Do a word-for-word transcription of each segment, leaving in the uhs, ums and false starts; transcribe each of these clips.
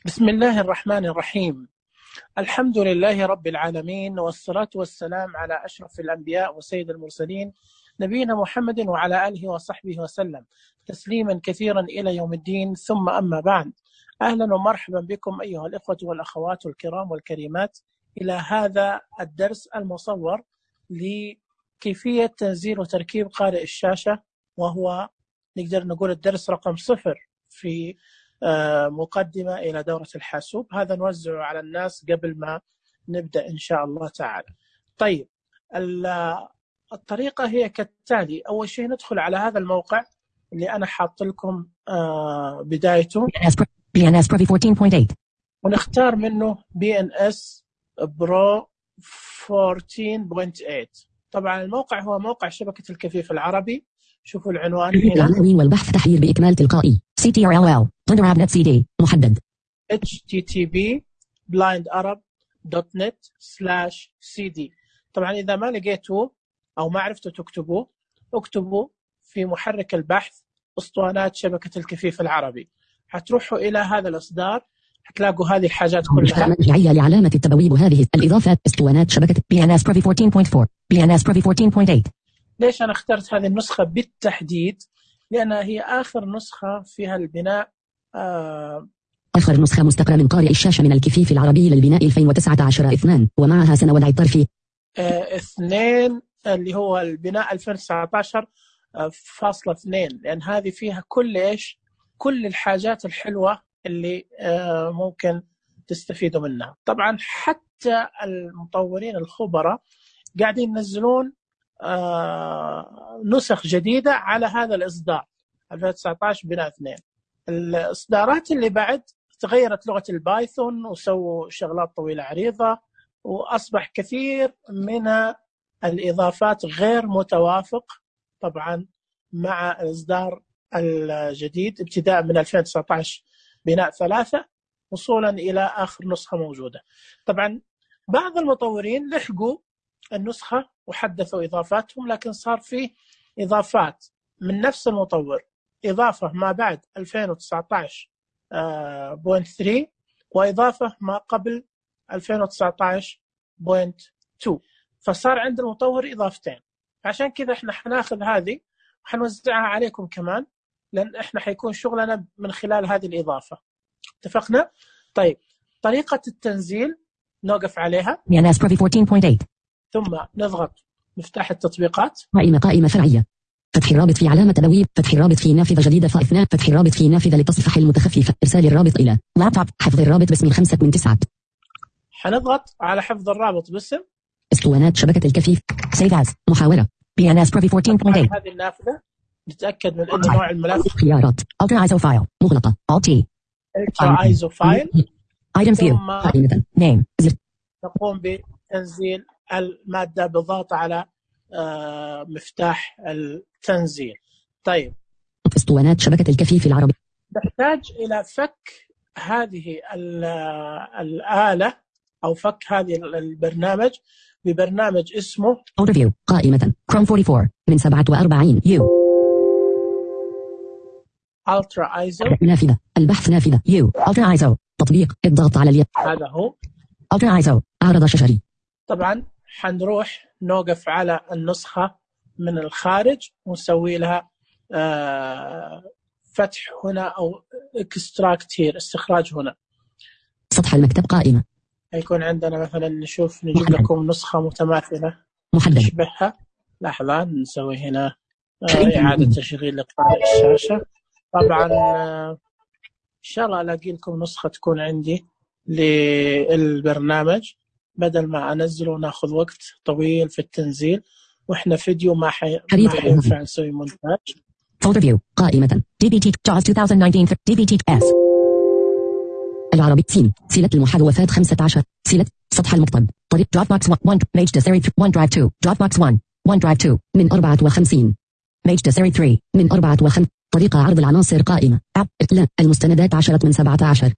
بسم الله الرحمن الرحيم. الحمد لله رب العالمين، والصلاة والسلام على أشرف الأنبياء وسيد المرسلين نبينا محمد وعلى آله وصحبه وسلم تسليما كثيرا إلى يوم الدين. ثم أما بعد، أهلا ومرحبا بكم أيها الإخوة والأخوات الكرام والكريمات إلى هذا الدرس المصور لكيفية تنزيل وتركيب قارئ الشاشة، وهو نقدر نقول الدرس رقم صفر في مقدمة إلى دورة الحاسوب. هذا نوزعه على الناس قبل ما نبدأ إن شاء الله تعالى. طيب، الطريقة هي كالتالي. أول شيء ندخل على هذا الموقع اللي أنا حاط لكم بدايته بي إن إس Pro أربعتاشر فاصلة ثمانية، ونختار منه بي إن إس Pro أربعتاشر فاصلة ثمانية. طبعا الموقع هو موقع شبكة الكفيف العربي. شوفوا العنوان هنا: العناوين والبحث تحرير بإكمال تلقائي سي تي آر إل إل Blender App Net سي دي محدد إتش تي تي بي بلايند أرب دوت نت سلاش سي دي. طبعا إذا ما لقيتوه أو ما عرفتوا تكتبوه، اكتبوا في محرك البحث أسطوانات شبكة الكفيف العربي، هتروحوا إلى هذا الإصدار، هتلاقوا هذه الحاجات كلها مرجعية لعلامة التبويب. وهذه الإضافات: اسطوانات شبكة بي إن إس Pro أربعتاشر فاصلة أربعة، بي إن إس Pro أربعتاشر فاصلة ثمانية. ليش أنا اخترت هذه النسخة بالتحديد؟ لأنها هي آخر نسخة فيها البناء آه آخر نسخة مستقرة من قارئ الشاشة من الكفيف العربي للبناء ألفين وتسعة عشر اثنان، ومعها سنة وضع الطرف آه اثنين اللي هو البناء ألفين وتسعة عشر فاصلة اثنين، لأن هذه فيها كل إيش كل الحاجات الحلوة اللي آه ممكن تستفيدوا منها. طبعا حتى المطورين الخبراء قاعدين ينزلون آه نسخ جديدة على هذا الإصدار ألفين وتسعة عشر بناء اثنين. الإصدارات اللي بعد تغيرت لغة البايثون وسووا شغلات طويلة عريضة، وأصبح كثير من الإضافات غير متوافق طبعا مع الإصدار الجديد ابتداء من ألفين وتسعة عشر بناء ثلاثة وصولا إلى آخر نسخة موجودة. طبعا بعض المطورين لحقوا النسخة وحدثوا إضافاتهم، لكن صار فيه إضافات من نفس المطور، إضافة ما بعد ألفين وتسعة عشر بوينت ثلاثة وإضافة ما قبل ألفين وتسعة عشر بوينت اثنين، فصار عند المطور إضافتين. عشان كذا إحنا حناخذ هذه وحنوزعها عليكم كمان، لأن إحنا حيكون شغلنا من خلال هذه الإضافة. اتفقنا؟ طيب، طريقة التنزيل نوقف عليها بي إن إس Pro أربعتاشر فاصلة ثمانية، ثم نضغط مفتاح التطبيقات، قائمة قائمة فرعية، فتح الرابط في علامة تبويب، فتح الرابط في نافذة جديدة فاثنان، فتح الرابط في نافذة للتصفح المتخففة، إرسال الرابط إلى لابتوب، حفظ الرابط باسم خمسة من تسعة. حنضغط على حفظ الرابط باسم اسطوانات شبكة الكفيف سيف از محاورة بي إن إس Pro أربعتاشر فاصلة ثمانية. هذه النافذة نتأكد من أن نوع الملف خيارات Ultra I S O file مغلقة Alt T Ultra I S O file Item View قائمة Name زر. نقوم بتنزيل المادة بالضغط على آه مفتاح التنزيل. طيب، اسطوانات شبكة الكفيف العربي. نحتاج إلى فك هذه الآلة أو فك هذه البرنامج ببرنامج اسمه Overview قائمة Chrome أربعة وأربعين من سبعة وأربعين U Ultra I S O نافذة البحث نافذة U Ultra I S O تطبيق الضغط على اليد. هذا هو Ultra I S O عرض شاشري. طبعا حنروح نوقف على النسخة من الخارج ونسوي لها آه فتح هنا أو extract here استخراج هنا. سطح المكتب قائمة. يكون عندنا مثلا نشوف نجيب محدد. لكم نسخة متماثلة محدد تشبهها. لحظة نسوي هنا آه إعادة تشغيل لقارئ الشاشة. طبعا آه إن شاء الله ألاقي لكم نسخة تكون عندي للبرنامج، بدل ما أنزله وناخذ وقت طويل في التنزيل وإحنا فيديو ما حي... ما حينفع نسوي مونتاج. Folder view قائمة دي بي تي جاز ألفين وتسعة عشر دي بي تي إس العربي سين سلة المحادثات خمسة عشر سلة سطح المكتب طريق Dropbox واحد Page Desiree واحد Drive اثنين Dropbox واحد واحد Drive اثنين من أربعة وخمسين Page Desiree ثلاثة من أربعة وخمسين. طريقة عرض العناصر قائمة App إطلاق المستندات عشرة من سبعة عشر.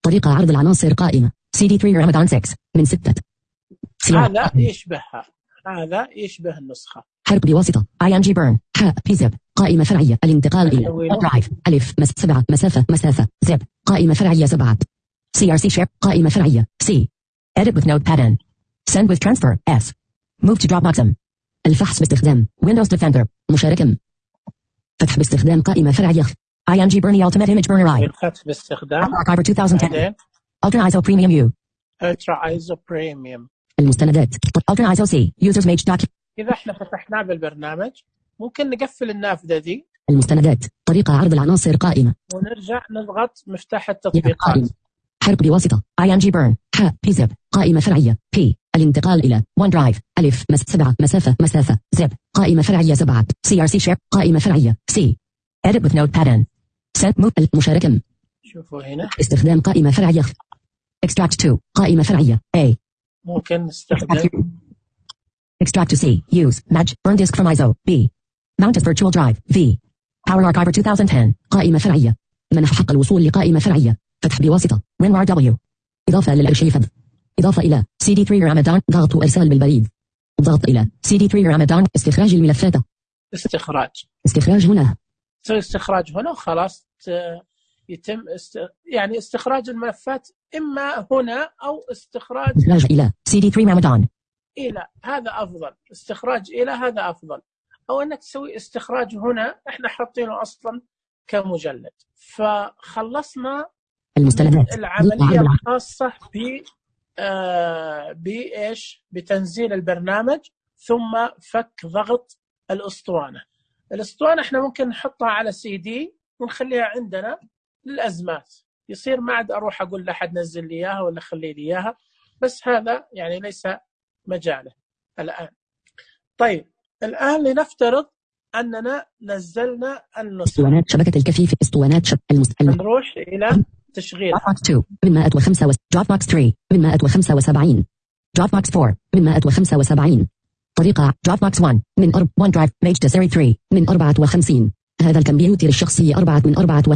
طريقة عرض العناصر قائمة سي دي ثلاثة رمضان ستة من ستة. هذا يشبهها، هذا يشبه النسخة. حرق بواسطة إن جي burn حاء بزب قائمة فرعية الانتقال إلى درايف ألف مس سبعة مسافة مسافة زب قائمة فرعية سبعة سي آر سي share قائمة فرعية C edit with notepad N send with transfer S move to Dropbox M الفحص باستخدام Windows Defender مشاركة فتح باستخدام قائمة فرعية I N G Bernie Ultimate Image Burner I الفتح باستخدام Archiver twenty ten بعدين Ultra I S O Premium U Ultra I S O Premium. المستندات Ultra I S O C Users Mage Doc إذا احنا فتحناه بالبرنامج ممكن نقفل النافذة دي المستندات طريقة عرض العناصر قائمة ونرجع نضغط مفتاح قائمة التطبيقات. حرق بواسطة I N G Burn ح بزب قائمة فرعية P الانتقال إلى OneDrive ألف مس سبعة مسافة مسافة زب قائمة فرعية سبعة سي آر سي share قائمة فرعية C edit with notepad N send move المشاركة شوفوا هنا استخدام قائمة فرعية extract to قائمة فرعية A ممكن نستخدم extract to C use match burn disk from I S O B mount as virtual drive V power archiver twenty ten قائمة فرعية منح حق الوصول لقائمة فرعية فتح بواسطة WinRAR W إضافة للأرشيف إضافة إلى سي دي ثري رمضان ضغط وإرسال بالبريد ضغط إلى سي دي ثري رمضان استخراج الملفات استخراج استخراج هنا تسوي استخراج هنا وخلاص يتم است... يعني استخراج الملفات إما هنا أو استخراج استخراج إلى سي دي ثري رمضان إلى هذا أفضل استخراج إلى هذا أفضل أو أنك تسوي استخراج هنا إحنا حاطينه أصلا كمجلد. فخلصنا المستندات العملية الخاصة ب آه بإيش بتنزيل البرنامج ثم فك ضغط الأسطوانة. الأسطوانة إحنا ممكن نحطها على سي دي ونخليها عندنا للأزمات يصير ما عاد أروح أقول لأحد نزل لي إياها ولا خلي لي إياها بس هذا يعني ليس مجاله الآن. طيب الآن لنفترض أننا نزلنا النسخة اسطوانات شبكة الكفيف اسطوانات شبكة المستقل نروح إلى تشغيل Dropbox two من مائة وخمسة Dropbox three من مائة وخمسة وسبعين Dropbox four من مائة وخمسة وسبعين طريقة Dropbox one من أرب OneDrive Mage Desiree three من أربعة وخمسين هذا الكمبيوتر الشخصي أربعة من أربعة و...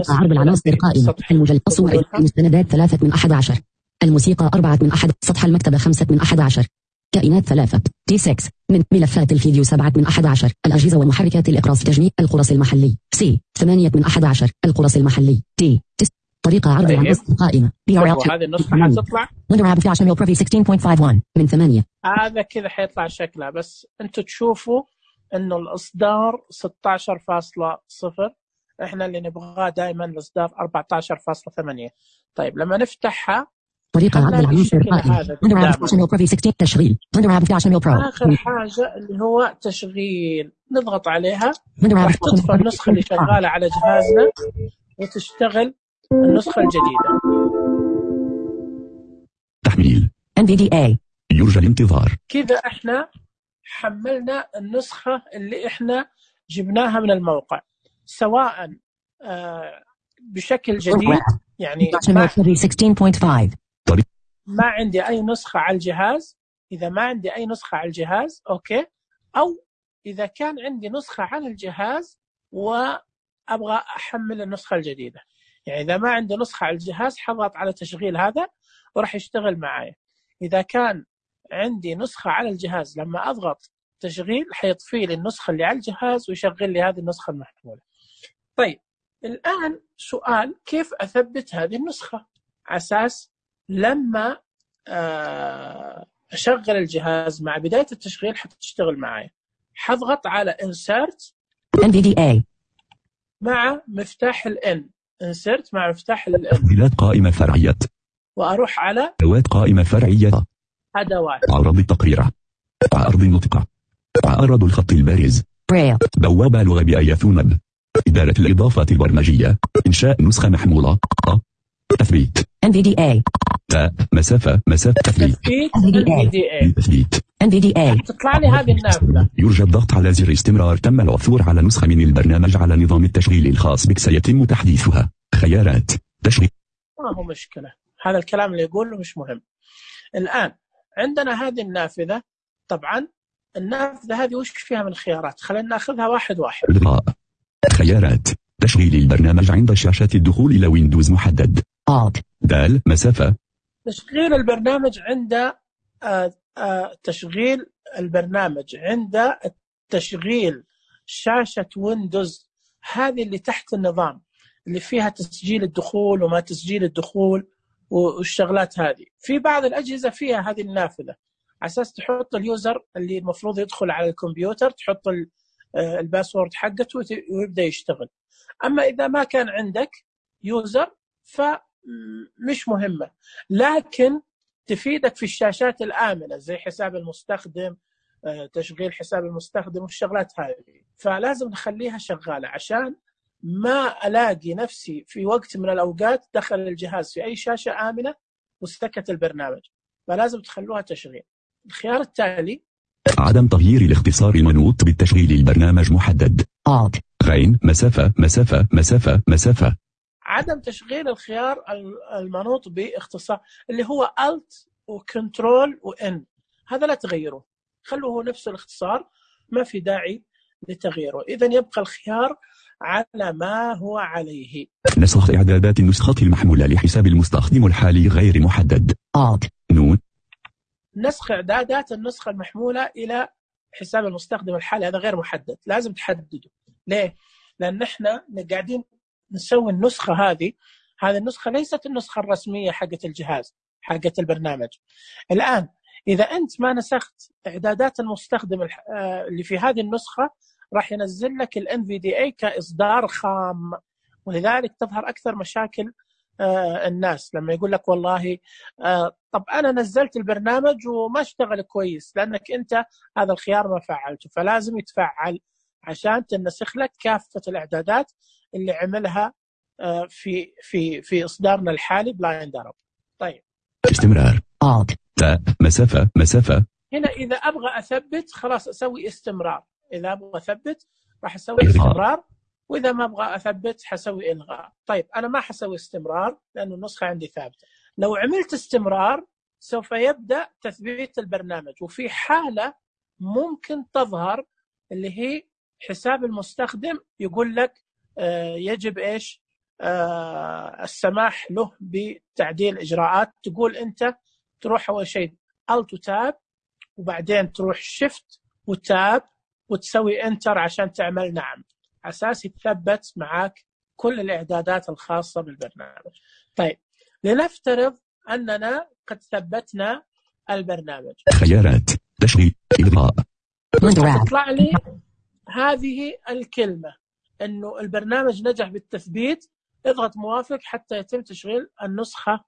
عرض العناصر قائمة المجلد الصور المستندات ثلاثة من أحد عشر الموسيقى أربعة من أحد سطح المكتبة خمسة من أحد عشر كائنات ثلاثة دي ستة من ملفات الفيديو سبعة من أحد عشر الأجهزة ومحركات الإقراص تجميع القرص المحلي سي ثمانية من أحد عشر القرص المحلي دي تس طريقة عرض العناصر قائمة بي ار ال هذه النسخة حتطلع ويندوز فلاش ميل بريفي ستة عشر فاصلة واحد من ثمانية هذا كذا حيطلع شكلها بس أنتوا تشوفوا إنه الإصدار ستة عشر فاصلة صفر إحنا اللي نبغاه دائما الإصدار أربعة عشر فاصلة ثمانية. طيب لما نفتحها طريقة عرض العناصر قائمة ويندوز فلاش ميل بريفي ستة تشغيل ويندوز فلاش ميل برو آخر حاجة اللي هو تشغيل نضغط عليها راح تطفى النسخة اللي شغالة على جهازنا وتشتغل النسخة الجديدة. تحميل إن في دي إيه يرجى الانتظار. كذا احنا حملنا النسخة اللي احنا جبناها من الموقع سواء آه بشكل جديد يعني ما, ما عندي أي نسخة على الجهاز. إذا ما عندي أي نسخة على الجهاز أوكي أو إذا كان عندي نسخة على الجهاز وأبغى أحمل النسخة الجديدة. يعني إذا ما عندي نسخة على الجهاز حضغط على تشغيل هذا وراح يشتغل معايا. إذا كان عندي نسخة على الجهاز لما أضغط تشغيل حيطفي لي النسخة اللي على الجهاز ويشغل لي هذه النسخة المحمولة. طيب الآن سؤال كيف أثبت هذه النسخة على أساس لما أشغل الجهاز مع بداية التشغيل حتشتغل معايا. حضغط على Insert إن في دي إيه مع مفتاح ال N Insert مع مفتاح ال N تفضيلات قائمة فرعية وأروح على أدوات قائمة فرعية أدوات عرض التقرير عرض النطق عرض الخط البارز بريل بوابة لغة بأيثونب إدارة الإضافات البرمجية إنشاء نسخة محمولة تثبيت إن في دي إيه تاء مسافة مسافة تثبيت إن في دي إيه تثبيت إن في دي إيه تطلع لي هذه النافذة. يرجى الضغط على زر استمرار. تم العثور على نسخة من البرنامج على نظام التشغيل الخاص بك سيتم تحديثها. خيارات تشغيل ما هو مشكلة هذا الكلام اللي يقوله مش مهم. الآن عندنا هذه النافذة. طبعا النافذة هذه وش فيها من خيارات خلينا ناخذها واحد واحد. خيارات تشغيل البرنامج عند شاشة الدخول إلى ويندوز محدد Alt دال مسافة تشغيل البرنامج عند آه آه تشغيل البرنامج عند تشغيل شاشة ويندوز هذه اللي تحت النظام اللي فيها تسجيل الدخول وما تسجيل الدخول والشغلات هذه. في بعض الأجهزة فيها هذه النافذة على أساس تحط اليوزر اللي المفروض يدخل على الكمبيوتر، تحط الباسورد حقته ويبدأ يشتغل. أما إذا ما كان عندك يوزر فمش مهمة، لكن تفيدك في الشاشات الآمنة زي حساب المستخدم، تشغيل حساب المستخدم والشغلات هذه. فلازم نخليها شغالة عشان ما ألاقي نفسي في وقت من الأوقات دخل الجهاز في أي شاشة آمنة وسكت البرنامج، فلازم تخلوها تشغيل. الخيار التالي عدم تغيير الاختصار المنوط بالتشغيل البرنامج محدد. Alt غين مسافة مسافة مسافة مسافة. عدم تشغيل الخيار المنوط باختصار اللي هو Alt وكنترول وإن، هذا لا تغيره، خلوه نفس الاختصار، ما في داعي لتغييره. إذن يبقى الخيار على ما هو عليه. نسخ إعدادات النسخة المحمولة لحساب المستخدم الحالي غير محدد. Alt نون نسخ إعدادات النسخة المحمولة إلى حساب المستخدم الحالي، هذا غير محدد، لازم تحدده. ليه؟ لأن احنا قاعدين نسوي النسخة هذه، هذه النسخة ليست النسخة الرسمية حقت الجهاز حقت البرنامج. الآن إذا أنت ما نسخت إعدادات المستخدم اللي في هذه النسخة راح ينزل لك ال إن في دي إيه كإصدار خام، ولذلك تظهر أكثر مشاكل الناس لما يقول لك والله طب أنا نزلت البرنامج وما اشتغل كويس لأنك أنت هذا الخيار ما فعلته. فلازم يتفعل عشان تنسخ لك كافة الإعدادات اللي عملها في في في إصدارنا الحالي بلايند أرب. طيب استمرار Alt تاء مسافة مسافة. هنا إذا أبغى أثبت خلاص أسوي استمرار، إذا أبغى أثبت راح أسوي استمرار، وإذا ما أبغى أثبت حسوي إلغاء. طيب أنا ما حسوي استمرار لأنه النسخة عندي ثابتة. لو عملت استمرار سوف يبدأ تثبيت البرنامج، وفي حالة ممكن تظهر اللي هي حساب المستخدم يقول لك آه يجب إيش آه السماح له بتعديل إجراءات. تقول أنت تروح أول شيء Alt وتاب، وبعدين تروح Shift وتاب وتسوي Enter عشان تعمل نعم، أساس يتثبت معك كل الإعدادات الخاصة بالبرنامج. طيب لنفترض أننا قد ثبتنا البرنامج. خيارات تشغيل إلغاء. تطلع لي هذه الكلمة أنه البرنامج نجح بالتثبيت، اضغط موافق حتى يتم تشغيل النسخة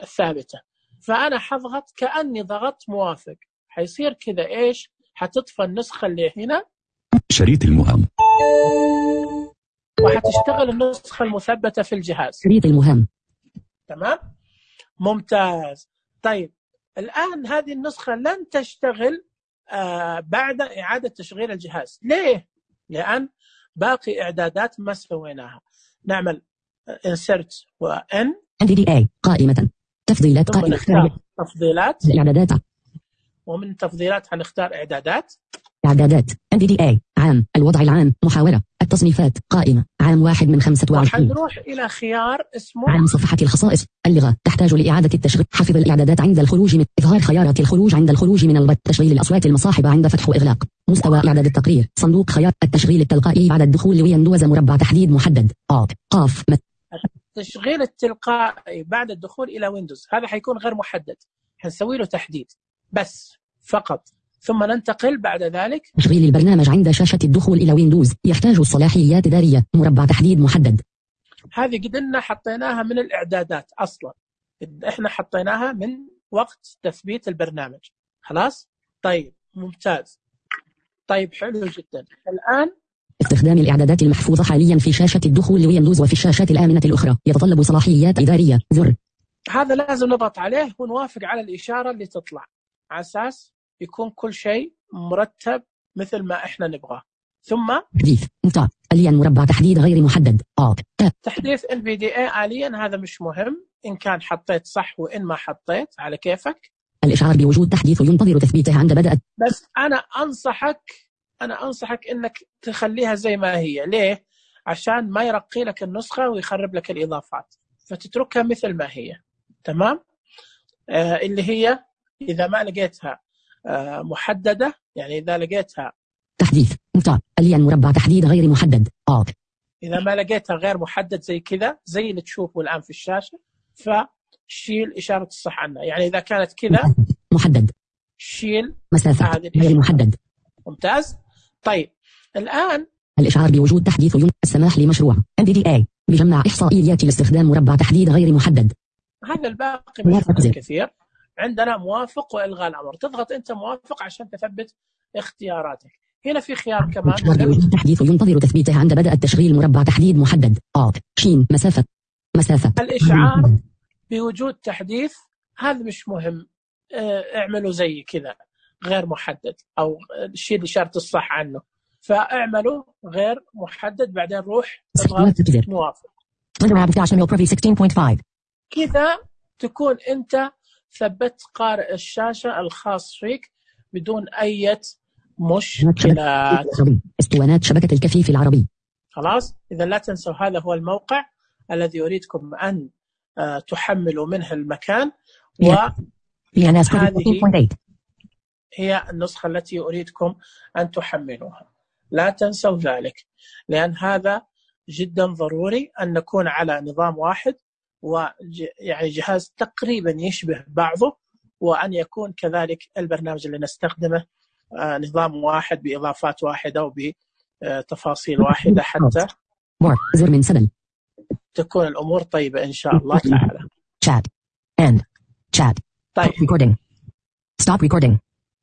الثابتة. فأنا حضغط كأني ضغطت موافق، حيصير كذا إيش، حتطفى النسخة اللي هنا شريط المهم، وحتشتغل النسخة المثبتة في الجهاز. شريط المهم تمام ممتاز. طيب الآن هذه النسخة لن تشتغل آه بعد إعادة تشغيل الجهاز. ليه؟ لأن باقي إعدادات ما سويناها. نعمل insert وN إن في دي إيه قائمة تفضيلات ثم قائمة نختار تفضيلات، الإعدادات ومن تفضيلات هنختار إعدادات. إعدادات إن في دي إيه عام الوضع العام محاورة التصنيفات قائمة عام واحد من خمسة وعشرين. وحنروح إلى خيار اسمه عام صفحة الخصائص اللغة تحتاج لإعادة التشغيل. حفظ الإعدادات عند الخروج من إظهار خيارات الخروج عند الخروج من البث. تشغيل الأصوات المصاحبة عند فتح وإغلاق. مستوى إعداد التقرير. صندوق خيار التشغيل التلقائي بعد الدخول لويندوز مربع تحديد محدد. آت قاف مت. التشغيل التلقائي بعد الدخول إلى ويندوز هذا حيكون غير محدد، حنسوي له تحديد بس فقط، ثم ننتقل بعد ذلك. تشغيل البرنامج عند شاشة الدخول إلى ويندوز يحتاج الصلاحيات إدارية مربع تحديد محدد. هذه قدرنا حطيناها من الإعدادات أصلا، إحنا حطيناها من وقت تثبيت البرنامج. خلاص طيب ممتاز. طيب حلو جدا. الآن استخدام الإعدادات المحفوظة حاليا في شاشة الدخول لويندوز وفي الشاشات الآمنة الأخرى يتطلب صلاحيات إدارية. زر هذا لازم نضغط عليه ونوافق على الإشارة اللي تطلع على أساس يكون كل شيء مرتب مثل ما إحنا نبغاه. ثم تحديث مفتاح آليا مربع تحديد غير محدد. آت تحديث إن في دي إيه آليا هذا مش مهم، إن كان حطيت صح وإن ما حطيت على كيفك. الإشعار بوجود تحديث ينتظر تثبيته عند بدء. بس أنا أنصحك أنا أنصحك إنك تخليها زي ما هي. ليه؟ عشان ما يرقي لك النسخة ويخرب لك الإضافات، فتتركها مثل ما هي. تمام؟ آه اللي هي إذا ما لقيتها آه محددة، يعني إذا لقيتها تحديث مفتاح آليا مربع تحديد غير محدد. آت إذا ما لقيتها غير محدد زي كذا، زي اللي تشوفه الآن في الشاشة، ف شيل إشارة الصح عنها. يعني إذا كانت كذا محدد شيل مسافة هذه غير محدد. ممتاز. طيب الآن الإشعار بوجود تحديث يم... السماح لمشروع إن دي دي إيه بجمع إحصائيات لاستخدام مربع تحديد غير محدد. هذا الباقي مش كثير. عندنا موافق وإلغاء الأمر. تضغط أنت موافق عشان تثبت اختياراتك. هنا في خيار كمان بوجود تحديث ينتظر تثبيته عند بدء التشغيل مربع تحديد محدد. آه شين مسافة مسافة الإشعار بوجود تحديث هذا مش مهم. اه اعملوا زي كذا غير محدد أو شيل إشارة الصح عنه. فاعملوا غير محدد بعدين روح اضغط موافق. كذا تكون أنت ثبت قارئ الشاشة الخاص فيك بدون أي مشكلات. اسطوانات شبكة الكفيف العربي. خلاص. إذا لا تنسوا هذا هو الموقع الذي أريدكم أن تحملوا منه المكان، وهذه هي النسخة التي أريدكم أن تحملوها. لا تنسوا ذلك، لأن هذا جدا ضروري أن نكون على نظام واحد، ويعني جهاز تقريبا يشبه بعضه، وأن يكون كذلك البرنامج اللي نستخدمه نظام واحد بإضافات واحدة وبتفاصيل واحدة حتى زر من سبل تكون الأمور طيبة إن شاء الله تعالى. chat and chat طيب recording stop recording.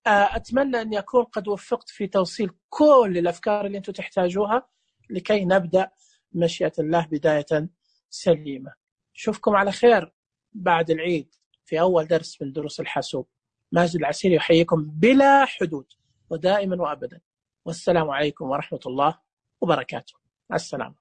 أتمنى أن يكون قد وفقت في توصيل كل الأفكار اللي أنتم تحتاجوها لكي نبدأ مشيئة الله بداية سليمة. شوفكم على خير بعد العيد في أول درس من دروس الحاسوب. ماجد العسيري يحييكم بلا حدود ودائما وأبدا، والسلام عليكم ورحمة الله وبركاته. السلام.